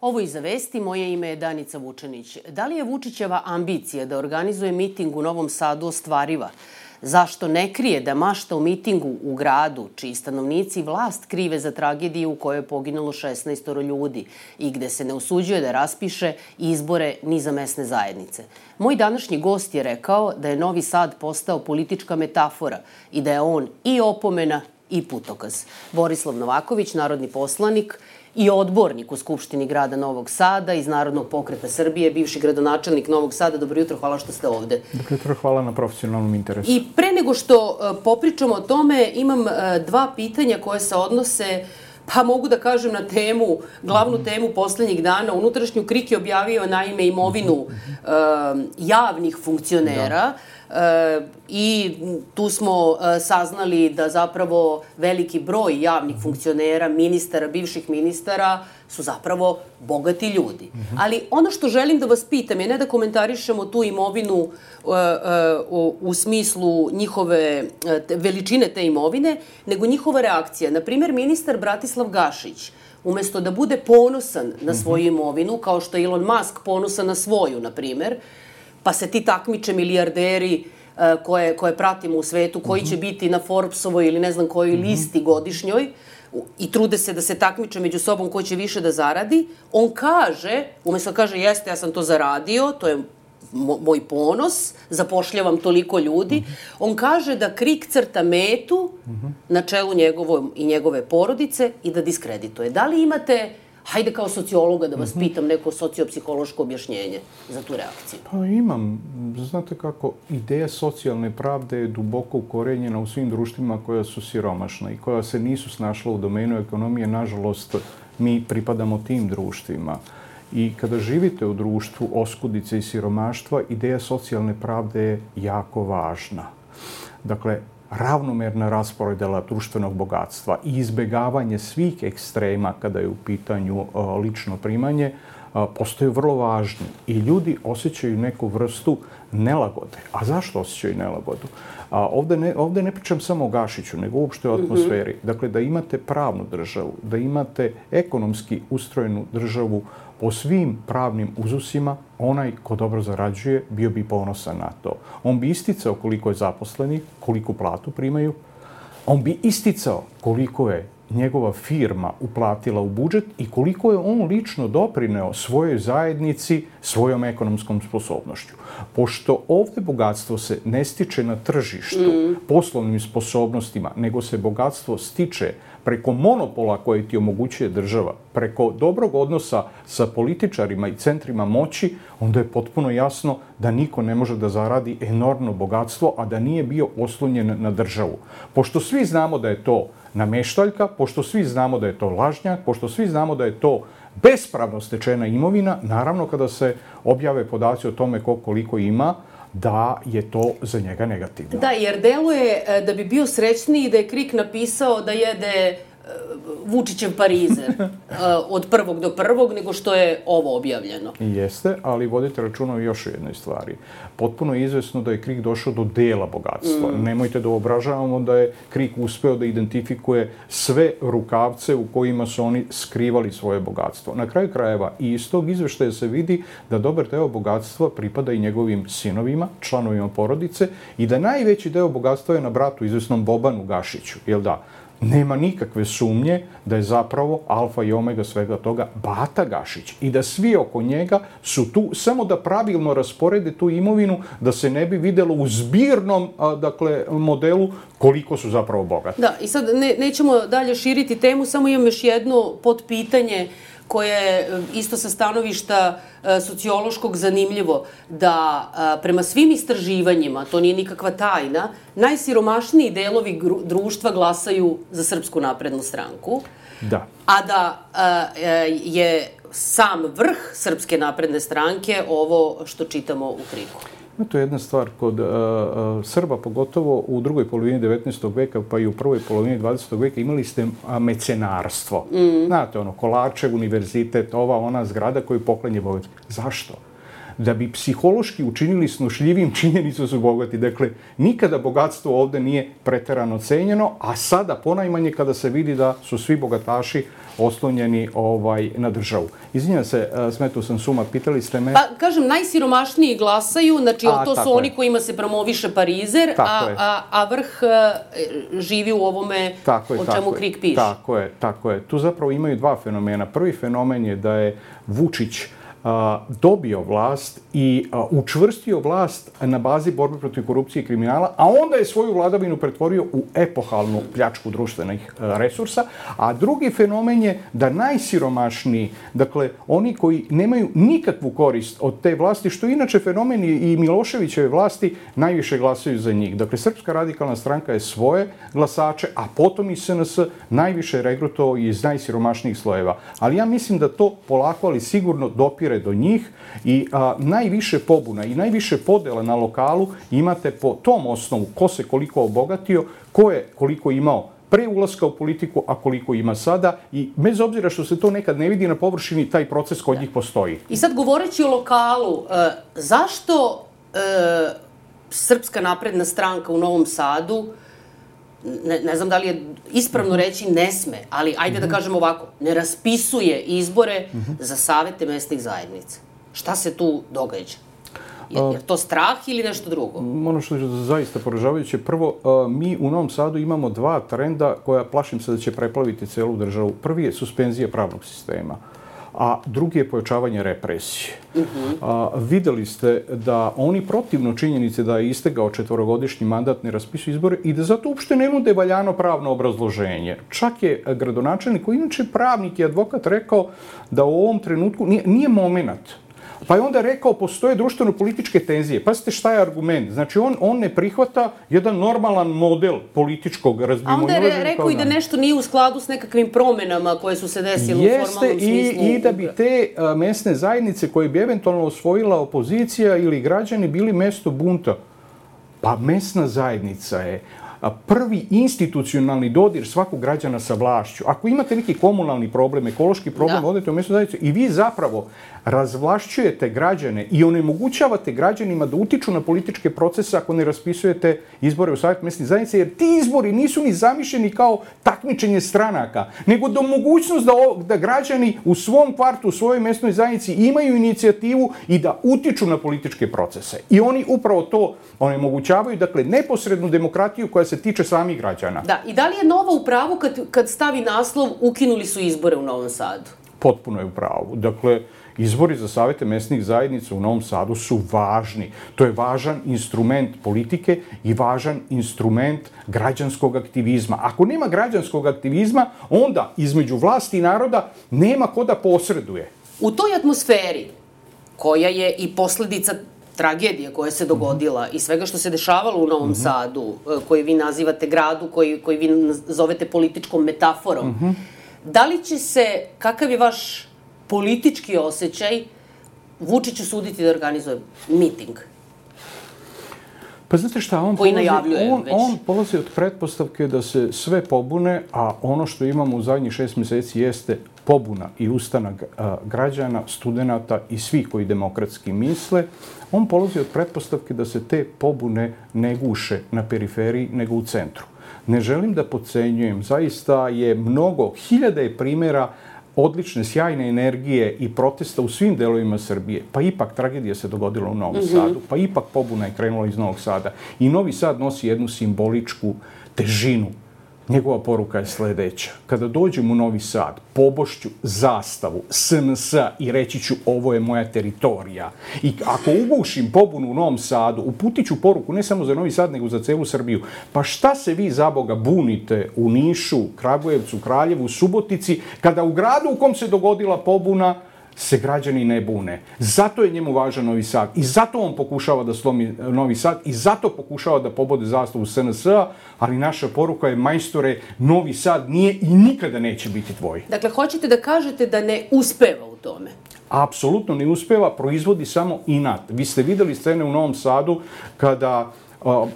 Ovo Iza vesti, moje ime je Danica Vučenić. Da li je Vučićeva ambicija da organizuje miting u Novom Sadu ostvariva? Zašto ne krije da mašta o mitingu u gradu, čiji stanovnici vlast krive za tragediju u kojoj je poginulo 16 ljudi i gde se ne usuđuje da raspiše izbore ni za mesne zajednice? Moj današnji gost je rekao da je Novi Sad postao politička metafora i da je on i opomena i putokaz. Borislav Novaković, narodni poslanik i odbornik u Skupštini grada Novog Sada iz Narodnog pokreta Srbije, bivši gradonačelnik Novog Sada. Dobro jutro, hvala što ste ovde. Dobro jutro, hvala na profesionalnom interesu. I pre nego što popričamo o tome, imam dva pitanja koje se odnose, pa mogu da kažem, na temu, glavnu temu poslednjih dana. Unutrašnju KRIK je objavio naime imovinu javnih funkcionera. I tu smo saznali da zapravo veliki broj javnih funkcionera, ministara, bivših ministara su zapravo bogati ljudi. Ali ono što želim da vas pitam je ne da komentarišemo tu imovinu u smislu njihove veličine te imovine, nego njihova reakcija. Naprimjer, ministar Bratislav Gašić, umesto da bude ponosan na svoju imovinu, kao što je Elon Musk ponosan na svoju, na primjer, pa se ti takmiče milijarderi koje pratimo u svetu, koji će biti na Forbesovoj ili ne znam kojoj listi godišnjoj i trude se da se takmiče među sobom ko će više da zaradi, on kaže, umjesto da kaže jeste, ja sam to zaradio, to je moj ponos, zapošljavam toliko ljudi, on kaže da KRIK crta metu na čelu njegovom i njegove porodice i da diskredituje. Da li imate, hajde kao sociologa da vas pitam, neko sociopsihološko objašnjenje za tu reakciju? Pa imam. Znate kako, ideja socijalne pravde je duboko ukorenjena u svim društvima koja su siromašna i koja se nisu snašla u domenu ekonomije. Nažalost, mi pripadamo tim društvima. I kada živite u društvu oskudice i siromaštva, ideja socijalne pravde je jako važna. Dakle, ravnomerna rasporedela društvenog bogatstva i izbegavanje svih ekstrema kada je u pitanju lično primanje postaju vrlo važni i ljudi osjećaju neku vrstu nelagode. A zašto osjećaju nelagodu? Ovde ne pričam samo o Gašiću, nego uopšte o atmosferi. Dakle, da imate pravnu državu, da imate ekonomski ustrojenu državu po svim pravnim uzusima, onaj ko dobro zarađuje bio bi ponosan na to. On bi isticao koliko je zaposlenih, koliku platu primaju. On bi isticao koliko je njegova firma uplatila u budžet i koliko je on lično doprineo svojoj zajednici svojom ekonomskom sposobnošću. Pošto ovde bogatstvo se ne stiče na tržištu poslovnim sposobnostima, nego se bogatstvo stiče preko monopola koje ti omogućuje država, preko dobrog odnosa sa političarima i centrima moći, onda je potpuno jasno da niko ne može da zaradi enormno bogatstvo, a da nije bio oslonjen na državu. Pošto svi znamo da je to nameštaljka, pošto svi znamo da je to lažnjak, pošto svi znamo da je to bespravno stečena imovina, naravno kada se objave podaci o tome ko koliko ima, da je to za njega negativno. Da, jer deluje da bi bio srećniji da je KRIK napisao da jede Vučićev parizer od prvog do prvog, nego što je ovo objavljeno. Jeste, ali vodite računa o još jednoj stvari. Potpuno je izvesno da je KRIK došao do dela bogatstva. Nemojte da obražavamo da je KRIK uspeo da identifikuje sve rukavce u kojima su oni skrivali svoje bogatstvo. Na kraju krajeva i iz tog izveštaja se vidi da dobar deo bogatstva pripada i njegovim sinovima, članovima porodice i da najveći deo bogatstva je na bratu izvesnom Bobanu Gašiću, jel da? Nema nikakve sumnje da je zapravo alfa i omega svega toga Bata Gašić i da svi oko njega su tu samo da pravilno rasporede tu imovinu, da se ne bi videlo u zbirnom modelu koliko su zapravo bogati. Da, i sad nećemo dalje širiti temu, samo imam još jedno podpitanje koje je isto sa stanovišta sociološkog zanimljivo, da prema svim istraživanjima, to nije nikakva tajna, najsiromašniji delovi društva glasaju za Srpsku naprednu stranku, da. A da je sam vrh Srpske napredne stranke ovo što čitamo u KRIK-u. To je jedna stvar kod Srba, pogotovo u drugoj polovini 19. veka, pa i u prvoj polovini 20. veka imali ste mecenarstvo. Znate, Kolačev univerzitet, ona zgrada koju poklenje Bogac. Zašto? da bi psihološki učinili snošljivim činjenicu su bogati. Dakle, nikada bogatstvo ovde nije preterano cenjeno, a sada ponajmanje kada se vidi da su svi bogataši oslonjeni na državu. Izvinjam se, smetao sam suma, pitali ste me... Pa, kažem, najsiromašniji glasaju, znači to su oni kojima se promoviše parizer, a vrh živi u ovome o čemu KRIK piše. Tako je. Tu zapravo imaju dva fenomena. Prvi fenomen je da je Vučić dobio vlast i učvrstio vlast na bazi borbe protiv korupcije i kriminala, a onda je svoju vladavinu pretvorio u epohalnu pljačku društvenih resursa, a drugi fenomen je da najsiromašniji, dakle oni koji nemaju nikakvu korist od te vlasti, što inače fenomen i Miloševićeve vlasti, najviše glasaju za njih. Dakle, Srpska radikalna stranka je svoje glasače, a potom i SNS najviše regrutovao iz najsiromašnijih slojeva. Ali ja mislim da to polako, ali sigurno dopire do njih i najviše pobuna i najviše podela na lokalu imate po tom osnovu ko se koliko obogatio, ko je koliko imao pre ulaska u politiku, a koliko ima sada i bez obzira što se to nekad ne vidi na površini, taj proces kod njih postoji. I sad govoreći o lokalu, zašto Srpska napredna stranka u Novom Sadu, ne znam da li je ispravno reći ne sme, ali ajde da kažem ovako, ne raspisuje izbore za savete mesnih zajednica. Šta se tu događa? Je to strah ili nešto drugo? Ono što je zaista poražavajuće, prvo, mi u Novom Sadu imamo dva trenda koja plašim se da će preplaviti celu državu. Prvi je suspenzija pravnog sistema, a drugi je pojačavanje represije. Videli ste da oni protivno činjenice da je istegao 4-godišnji mandat ne raspisuju izbore i da zato uopšte ne nude valjano pravno obrazloženje. Čak je gradonačelnik, koji inače pravnik i advokat, rekao da u ovom trenutku nije moment. Pa je onda rekao, postoje društveno-političke tenzije. Pazite šta je argument. Znači, on ne prihvata jedan normalan model političkog razbimoilaženja. A onda je rekao i da nešto nije u skladu s nekakvim promenama koje su se desile u formalnom smislu. I da bi te mesne zajednice koje bi eventualno osvojila opozicija ili građani bili mesto bunta. Pa mesna zajednica je prvi institucionalni dodir svakog građana sa vlašću. Ako imate neki komunalni problem, ekološki problem, odete u mesnu zajednicu i vi zapravo razvlašćujete građane i onemogućavate građanima da utiču na političke procese ako ne raspisujete izbore u Savet mesnih zajednice, jer ti izbori nisu ni zamišljeni kao takmičenje stranaka, nego da mogućnost da građani u svom kvartu, u svojoj mesnoj zajednici imaju inicijativu i da utiču na političke procese. I oni upravo to onemogućavaju, dakle, neposrednu demokratiju koja se tiče samih građana. Da, i da li je Nova u pravu kad stavi naslov ukinuli su izbore u Novom Sadu? Potpuno je u pravu. Dakle, izbori za savete mesnih zajednica u Novom Sadu su važni. To je važan instrument politike i važan instrument građanskog aktivizma. Ako nema građanskog aktivizma, onda između vlasti i naroda nema ko da posreduje. U toj atmosferi, koja je i posledica tragedija koja se dogodila i svega što se dešavalo u Novom Sadu, koji vi nazivate gradu, koji vi zovete političkom metaforom, da li će se, kakav je vaš politički osjećaj, Vučić usuditi da organizuje miting? Pa znate šta, on polazi od pretpostavke da se sve pobune, a ono što imamo u zadnjih 6 meseci jeste pobuna i ustanak građana, studenata i svih koji demokratski misle. On polazi od pretpostavke da se te pobune ne guše na periferiji, nego u centru. Ne želim da podcenjujem, zaista je mnogo, hiljade primjera odlične, sjajne energije i protesta u svim delovima Srbije. Pa ipak tragedija se dogodila u Novom Sadu, pa ipak pobuna je krenula iz Novog Sada. I Novi Sad nosi jednu simboličku težinu. Njegova poruka je sledeća. Kada dođem u Novi Sad, pobošću zastavu SNS i reći ću ovo je moja teritorija. I ako ugušim pobunu u Novom Sadu, uputit ću poruku ne samo za Novi Sad, nego za celu Srbiju. Pa šta se vi, zaboga, bunite u Nišu, Kragujevcu, Kraljevu, Subotici, kada u gradu u kom se dogodila pobuna se građani ne bune. Zato je njemu važan Novi Sad i zato on pokušava da slomi Novi Sad i zato pokušava da pobode zastavu SNS-a, ali naša poruka je, majstore, Novi Sad nije i nikada neće biti tvoj. Dakle, hoćete da kažete da ne uspeva u tome? Apsolutno ne uspeva, proizvodi samo inat. Vi ste videli scene u Novom Sadu kada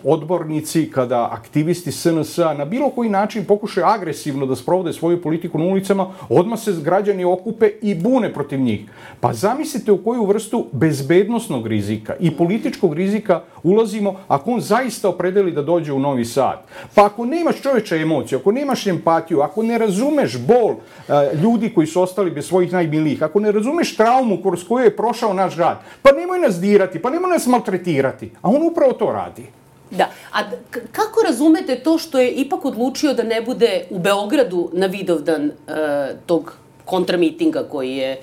odbornici, kada aktivisti SNS-a na bilo koji način pokušaju agresivno da sprovode svoju politiku na ulicama, odmah se građani okupe i bune protiv njih. Pa zamislite u koju vrstu bezbednosnog rizika i političkog rizika ulazimo ako on zaista opredeli da dođe u Novi Sad. Pa ako nemaš čoveče emociju, ako nemaš empatiju, ako ne razumeš bol ljudi koji su ostali bez svojih najmilijih, ako ne razumeš traumu kroz koju je prošao naš grad, pa nemoj nas dirati, pa nemoj nas maltretirati. A on upravo to radi. Da, a kako razumete to što je ipak odlučio da ne bude u Beogradu na Vidovdan tog kontramitinga koji je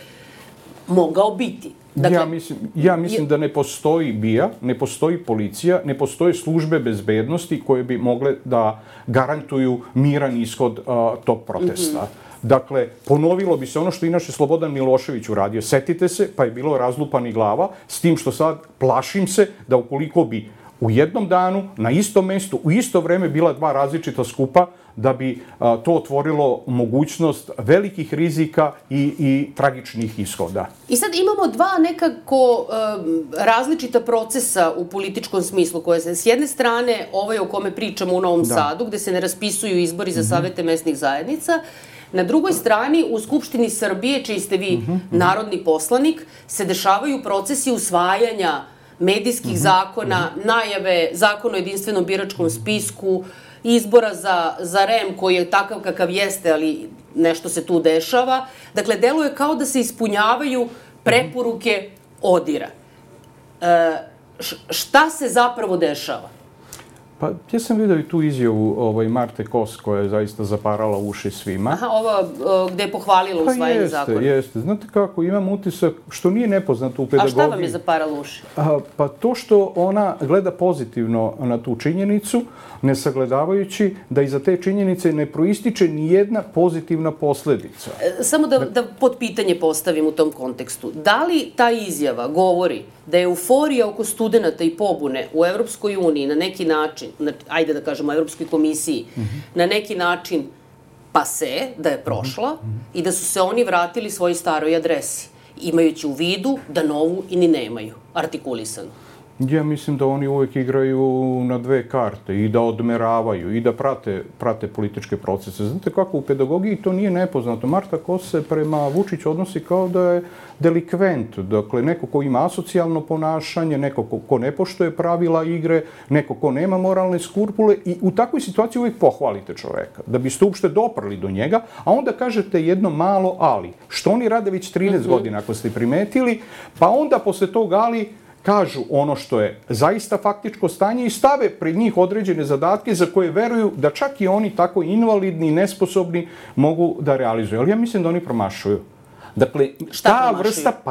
mogao biti? Dakle, ja mislim da ne postoji BIA, ne postoji policija, ne postoje službe bezbednosti koje bi mogle da garantuju miran ishod tog protesta. Dakle, ponovilo bi se ono što inače Slobodan Milošević uradio. Setite se, pa je bilo razlupani glava, s tim što sad plašim se da ukoliko bi u jednom danu, na istom mestu, u isto vreme bila dva različita skupa, da bi to otvorilo mogućnost velikih rizika i tragičnih ishoda. I sad imamo dva nekako različita procesa u političkom smislu, koje se s jedne strane, ovaj o kome pričamo u Novom Sadu, gde se ne raspisuju izbori za savete mesnih zajednica, na drugoj strani, u Skupštini Srbije, čiji ste vi narodni poslanik, se dešavaju procesi usvajanja medijskih zakona, najave zakona o jedinstvenom biračkom spisku, izbora za REM koji je takav kakav jeste, ali nešto se tu dešava. Dakle, deluje kao da se ispunjavaju preporuke ODIR-a. Šta se zapravo dešava? Pa, ja sam vidio i tu izjavu Marte Kos, koja je zaista zaparala uši svima. Aha, ova gde je pohvalila usvajanje zakona. Pa jeste. Znate kako, imam utisak, što nije nepoznato u pedagogiji. A šta vam je zaparala uši? Pa to što ona gleda pozitivno na tu činjenicu, ne sagledavajući da iza te činjenice ne proističe ni jedna pozitivna posledica. Samo da pod pitanje postavim u tom kontekstu. Da li ta izjava govori da je euforija oko studenta i pobune u Evropskoj uniji na neki način, ajde da kažemo Evropskoj komisiji, na neki način pase, da je prošla i da su se oni vratili svojoj staroj adresi, imajući u vidu da novu i ni nemaju, artikulisanu? Ja mislim da oni uvek igraju na dve karte i da odmeravaju i da prate političke procese. Znate kako, u pedagogiji to nije nepoznato. Marta Kos se prema Vučiću odnosi kao da je delikvent. Dakle, neko ko ima asocijalno ponašanje, neko ko ne poštuje pravila igre, neko ko nema moralne skrupule i u takvoj situaciji uvek pohvalite čoveka, da biste uopšte doprli do njega, a onda kažete jedno malo ali. Što oni rade već 13 godina, ako ste primetili, pa onda posle tog ali kažu ono što je zaista faktičko stanje i stave pred njih određene zadatke za koje veruju da čak i oni tako invalidni i nesposobni mogu da realizuju. Ali ja mislim da oni promašuju. Dakle,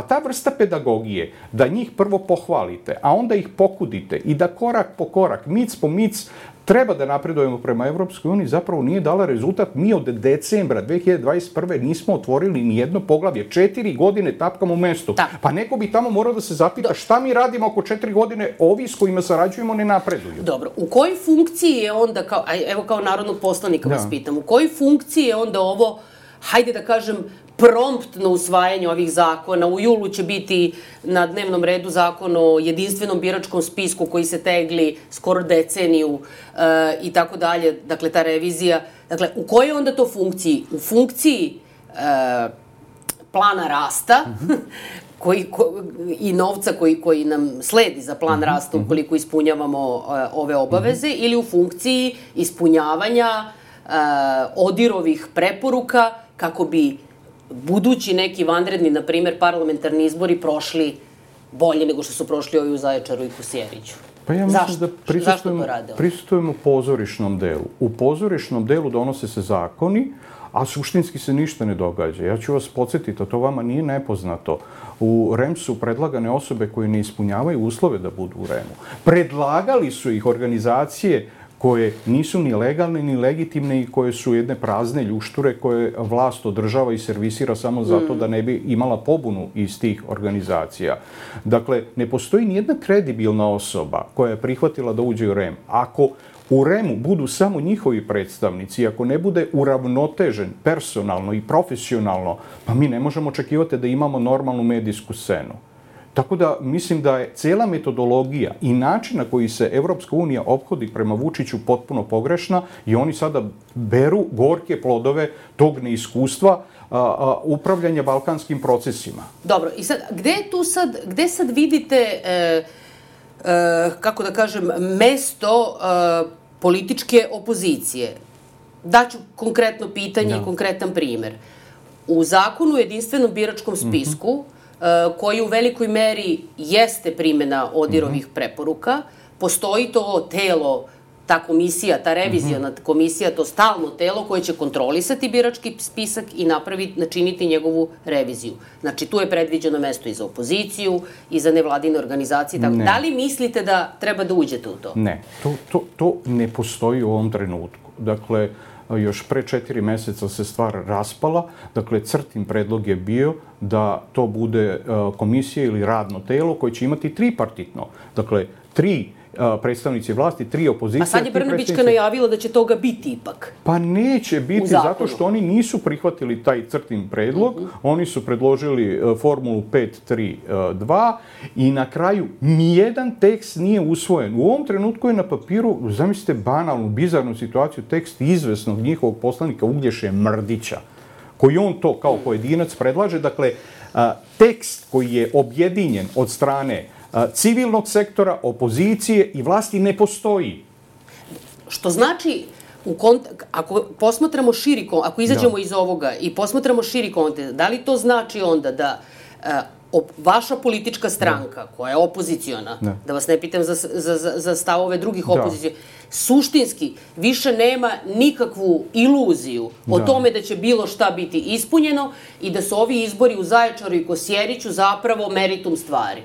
ta vrsta pedagogije, da njih prvo pohvalite, a onda ih pokudite i da korak po korak, mic po mic, treba da napredujemo prema Evropskoj uniji, zapravo nije dala rezultat. Mi od decembra 2021. nismo otvorili ni jedno poglavlje. 4 godine tapkamo u mestu. Pa neko bi tamo morao da se zapita šta mi radimo ako 4 godine ovi s kojima sarađujemo ne napreduju. Dobro, u kojoj funkciji je onda, evo kao narodnog poslanika vas pitam, u kojoj funkciji je onda ovo, hajde da kažem, promptno usvajanje ovih zakona? U julu će biti na dnevnom redu zakon o jedinstvenom biračkom spisku koji se tegli skoro deceniju i tako dalje, dakle ta revizija. Dakle, u kojoj onda to funkciji? U funkciji plana rasta i novca koji nam sledi za plan rasta ukoliko ispunjavamo ove obaveze, ili u funkciji ispunjavanja ODIR-ovih preporuka kako bi budući neki vanredni, na primjer, parlamentarni izbori prošli bolje nego što su prošli ovi u Zaječaru i Kosjeriću. Pa ja mislim da prisustujemo pozorišnom delu. U pozorišnom delu donose se zakoni, a suštinski se ništa ne događa. Ja ću vas podsjetiti, a to vama nije nepoznato. U REM su predlagane osobe koje ne ispunjavaju uslove da budu u REM-u. Predlagali su ih organizacije koje nisu ni legalne, ni legitimne i koje su jedne prazne ljušture koje vlast održava i servisira samo zato da ne bi imala pobunu iz tih organizacija. Dakle, ne postoji ni jedna kredibilna osoba koja je prihvatila da uđe u REM. Ako u REM-u budu samo njihovi predstavnici, ako ne bude uravnotežen personalno i profesionalno, pa mi ne možemo očekivati da imamo normalnu medijsku scenu. Tako da mislim da je cijela metodologija i način na koji se Evropska unija ophodi prema Vučiću potpuno pogrešna i oni sada beru gorke plodove tog neiskustva upravljanja balkanskim procesima. Dobro, i sad, gde sad vidite, kako da kažem, mesto političke opozicije? Daću konkretno pitanje i konkretan primer. U zakonu o jedinstvenom biračkom spisku, koji u velikoj meri jeste primjena ODIHR-ovih preporuka, postoji to telo, ta komisija, ta reviziona komisija, to stalno telo koje će kontrolisati birački spisak i načiniti njegovu reviziju. Znači, tu je predviđeno mesto i za opoziciju, i za nevladine organizacije. Da li mislite da treba da uđete u to? Ne, to ne postoji u ovom trenutku. Dakle, još pre 4 meseca se stvar raspala. Dakle, CRTA-in predlog je bio da to bude komisija ili radno telo koje će imati tripartitno. Dakle, 3 predstavnici vlasti, 3 opozicije. A sad je Brnabićka najavila da će toga biti ipak. Pa neće biti, zato što oni nisu prihvatili taj CRTA-in predlog. Oni su predložili formulu 5-3-2 i na kraju nijedan tekst nije usvojen. U ovom trenutku je na papiru, zamislite banalnu, bizarnu situaciju, tekst izvesnog njihovog poslanika Uglješe Mrdića, koji on to kao pojedinac predlaže. Dakle, tekst koji je objedinjen od strane civilnog sektora, opozicije i vlasti ne postoji. Što znači, ako posmatramo širi, ako izađemo iz ovoga i posmatramo širi kontekst, da li to znači onda da vaša politička stranka, koja je opoziciona, da vas ne pitam za stavove drugih opozicija, suštinski više nema nikakvu iluziju o tome da će bilo šta biti ispunjeno i da su ovi izbori u Zaječaru i Kosjeriću zapravo meritum stvari?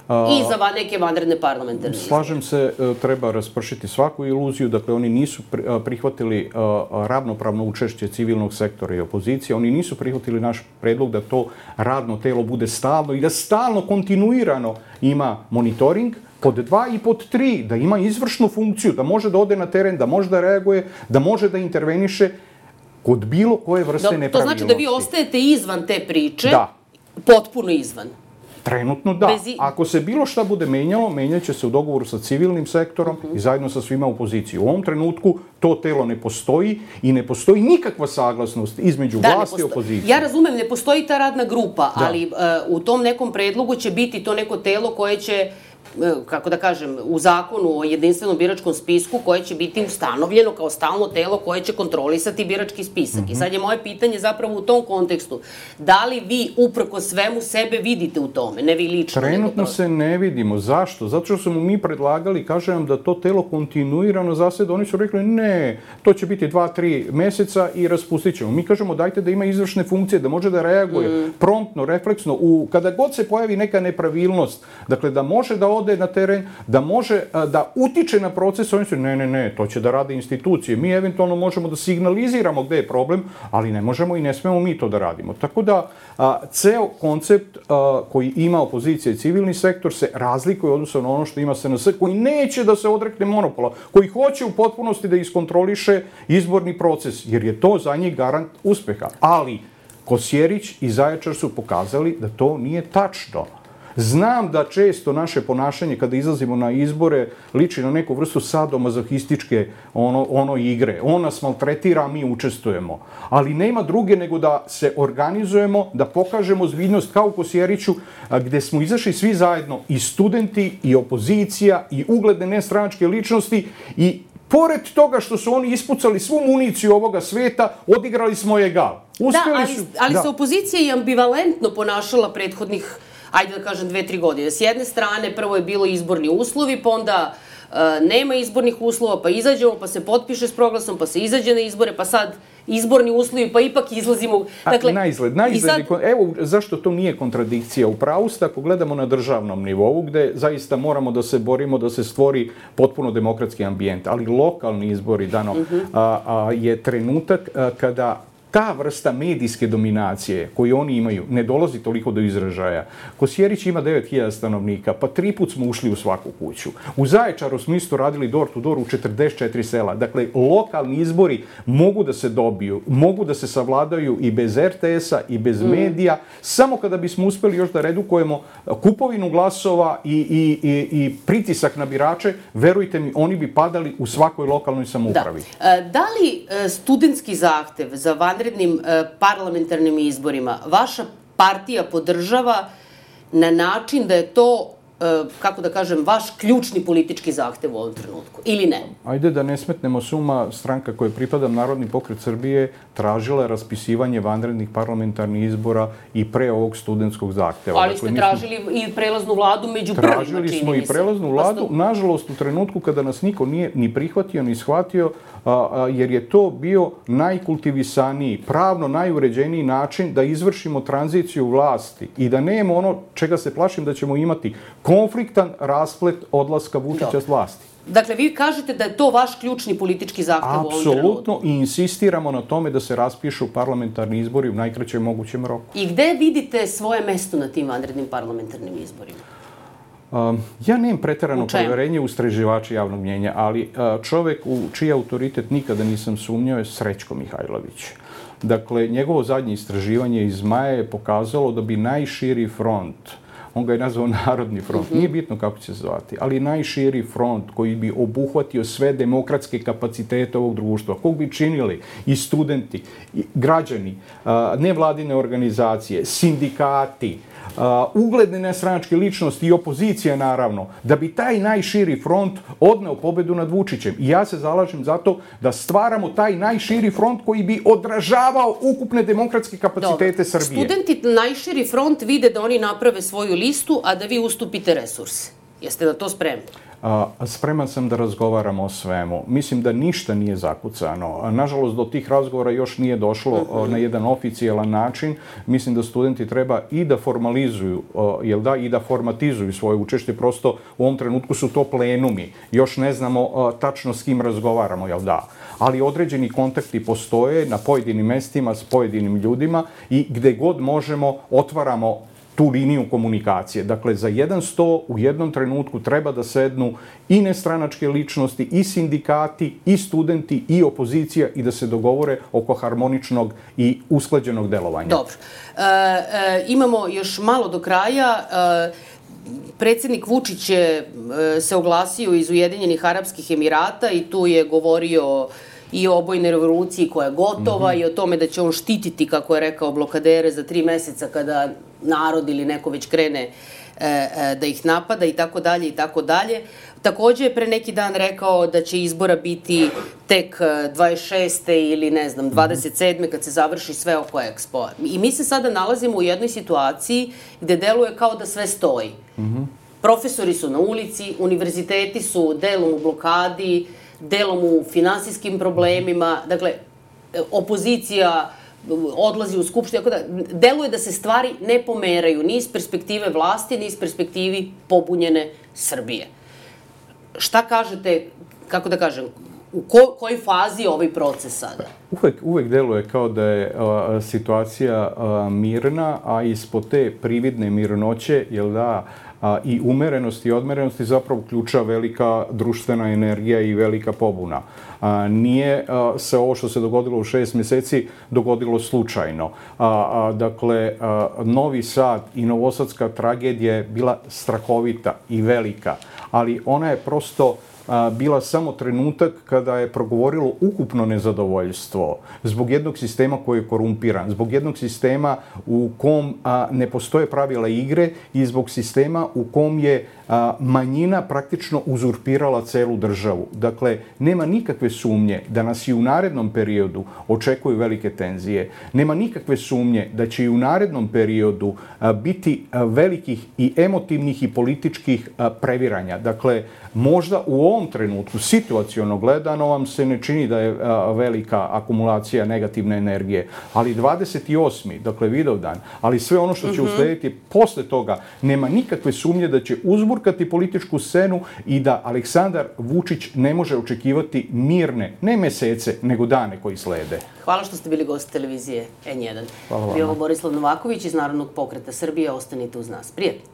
I za neke vanredne parlamentarne izbore. Slažem se, treba raspršiti svaku iluziju. Dakle, oni nisu prihvatili ravnopravno učešće civilnog sektora i opozicije. Oni nisu prihvatili naš predlog da to radno telo bude stalno i da stalno, kontinuirano ima monitoring. Pod 2 i pod 3, da ima izvršnu funkciju, da može da ode na teren, da može da reaguje, da može da interveniše kod bilo koje vrste nepravilnosti. To znači da vi ostajete izvan te priče? Da. Potpuno izvan? Trenutno da. Ako se bilo šta bude menjalo, menjat će se u dogovoru sa civilnim sektorom i zajedno sa svima opoziciji. U ovom trenutku to telo ne postoji i ne postoji nikakva saglasnost između vlasti i opozicije. Ja razumem, ne postoji ta radna grupa, ali u tom nekom predlogu će biti to neko telo koje će, kako da kažem, u zakonu o jedinstvenom biračkom spisku, koje će biti ustanovljeno kao stalno telo koje će kontrolisati birački spisak. I sad je moje pitanje zapravo u tom kontekstu. Da li vi uprko svemu sebe vidite u tome? Ne vi lično. Trenutno se ne vidimo. Zašto? Zato što smo mi predlagali, kažem, da to telo kontinuirano zaseda. Oni su rekli ne, to će biti 2-3 meseca i raspustit ćemo. Mi kažemo dajte da ima izvršne funkcije, da može da reaguje promptno, refleksno. Kada god se pojavi neka nepravilnost, dakle da može da ode na teren, da može da utiče na proces, oni su ne, to će da rade institucije. Mi eventualno možemo da signaliziramo gde je problem, ali ne možemo i ne smemo mi to da radimo. Tako da ceo koncept koji ima opozicija i civilni sektor se razlikuje odnosno na ono što ima SNS, koji neće da se odrekne monopola, koji hoće u potpunosti da iskontroliše izborni proces, jer je to za njih garant uspeha. Ali Kosjerić i Zaječar su pokazali da to nije tačno. Znam da često naše ponašanje kada izlazimo na izbore liči na neku vrstu sadomazohističke igre. On nas maltretira, a mi učestvujemo. Ali nema druge nego da se organizujemo, da pokažemo ozbiljnost kao u Kosjeriću, gde smo izašli svi zajedno, i studenti, i opozicija, i ugledne nestranačke ličnosti, i pored toga što su oni ispucali svu municiju ovoga sveta, odigrali smo egal. Ali se opozicija i ambivalentno ponašala prethodnih, ajde da kažem, 2-3 godine. S jedne strane, prvo je bilo izborni uslovi, pa onda nema izbornih uslova, pa izađemo, pa se potpiše s proglasom, pa se izađe na izbore, pa sad izborni uslovi, pa ipak izlazimo. Naizgled. Evo zašto to nije kontradikcija. U pravu ste ako gledamo na državnom nivou, gde zaista moramo da se borimo da se stvori potpuno demokratski ambijent. Ali lokalni izbori je trenutak kada ta vrsta medijske dominacije koju oni imaju ne dolazi toliko do izražaja. Kosjerić ima 9000 stanovnika, pa 3 put smo ušli u svaku kuću. U Zaječaru smo isto radili door to door u 44 sela. Dakle, lokalni izbori mogu da se dobiju, mogu da se savladaju i bez RTS-a i bez medija, samo kada bismo uspeli još da redukujemo kupovinu glasova i pritisak na birače, verujte mi, oni bi padali u svakoj lokalnoj samoupravi. Da li studentski zahtev za vanrednim parlamentarnim izborima vaša partija podržava na način da je to, kako da kažem, vaš ključni politički zahtev u ovom trenutku, ili ne? Ajde da ne smetnemo suma, stranka kojoj pripadam, Narodni pokret Srbije, tražila je raspisivanje vanrednih parlamentarnih izbora i pre ovog studentskog zahteva. Ali ste tražili i prelaznu vladu među prvima, čini mi se. Tražili smo i prelaznu vladu, nažalost u trenutku kada nas niko nije ni prihvatio, ni shvatio, jer je to bio najkultivisaniji, pravno najuređeniji način da izvršimo tranziciju vlasti i da nemamo ono čega se plašim da ćemo imati, konfliktan rasplet odlaska Vučića s vlasti. Dakle, vi kažete da je to vaš ključni politički zahtev u ovom trenutku. Apsolutno, i insistiramo na tome da se raspišu parlamentarni izbori u najkraćem mogućem roku. I gde vidite svoje mesto na tim vanrednim parlamentarnim izborima? Ja nemam preterano poverenje u istraživače javnog mnjenja, ali čovek u čiji autoritet nikada nisam sumnjao je Srećko Mihajlović. Dakle, njegovo zadnje istraživanje iz maja je pokazalo da bi najširi front, on ga je nazvao Narodni front, nije bitno kako će se zvati, ali najširi front koji bi obuhvatio sve demokratske kapacitete ovog društva, kog bi činili i studenti, i građani, nevladine organizacije, sindikati, ugledne nestranačke ličnosti i opozicija, naravno, da bi taj najširi front odneo pobedu nad Vučićem. I ja se zalažem za to da stvaramo taj najširi front koji bi odražavao ukupne demokratske kapacitete Srbije. Studenti najširi front vide da oni naprave svoju listu, a da vi ustupite resurse. Jeste na to spremni? Spreman sam da razgovaramo o svemu. Mislim da ništa nije zakucano. Nažalost, do tih razgovora još nije došlo na jedan oficijalan način. Mislim da studenti treba i da formalizuju, i da formatizuju svoje učešće. Prosto u ovom trenutku su to plenumi. Još ne znamo tačno s kim razgovaramo, ali određeni kontakti postoje na pojedinim mestima s pojedinim ljudima i gde god možemo otvaramo tu liniju komunikacije. Dakle, za jedan sto u jednom trenutku treba da sednu i nestranačke ličnosti, i sindikati, i studenti, i opozicija i da se dogovore oko harmoničnog i usklađenog delovanja. Dobro. Imamo još malo do kraja. Predsjednik Vučić je se oglasio iz Ujedinjenih Arapskih Emirata i tu je govorio i o obojnoj revoluciji koja je gotova i o tome da će on štititi, kako je rekao, blokadere za 3 meseca kada narod ili neko već krene da ih napada i tako dalje i tako dalje. Takođe je pre neki dan rekao da će izbora biti tek 26. ili 27. kad se završi sve oko Expo. I mi se sada nalazimo u jednoj situaciji gde deluje kao da sve stoji. Profesori su na ulici, univerziteti su delom u blokadi, delom u finansijskim problemima, dakle, opozicija odlazi u skupštinu, deluje da se stvari ne pomeraju ni iz perspektive vlasti, ni iz perspektivi pobunjene Srbije. Šta kažete, kako da kažem, u kojoj fazi je ovaj proces sada? Uvek deluje kao da je situacija mirna, a ispod te prividne mirnoće, i umerenosti i odmerenosti zapravo ključa velika društvena energija i velika pobuna. Nije se ovo što se dogodilo u 6 meseci dogodilo slučajno. Dakle, Novi Sad i novosadska tragedija je bila strahovita i velika, ali ona je prosto bila samo trenutak kada je progovorilo ukupno nezadovoljstvo zbog jednog sistema koji je korumpiran, zbog jednog sistema u kom ne postoje pravila igre i zbog sistema u kom je manjina praktično uzurpirala celu državu. Dakle, nema nikakve sumnje da nas i u narednom periodu očekuju velike tenzije. Nema nikakve sumnje da će i u narednom periodu biti velikih i emotivnih i političkih previranja. Dakle, možda u ovom ovom trenutku, situaciono gledano, vam se ne čini da je velika akumulacija negativne energije. Ali 28. dakle Vidovdan, ali sve ono što će uslediti posle toga, nema nikakve sumnje da će uzburkati političku scenu i da Aleksandar Vučić ne može očekivati mirne, ne mesece, nego dane koji slede. Hvala što ste bili gost televizije N1. Hvala vama. Bio ovo Borislav Novaković iz Narodnog pokreta Srbije. Ostanite uz nas. Prijatno.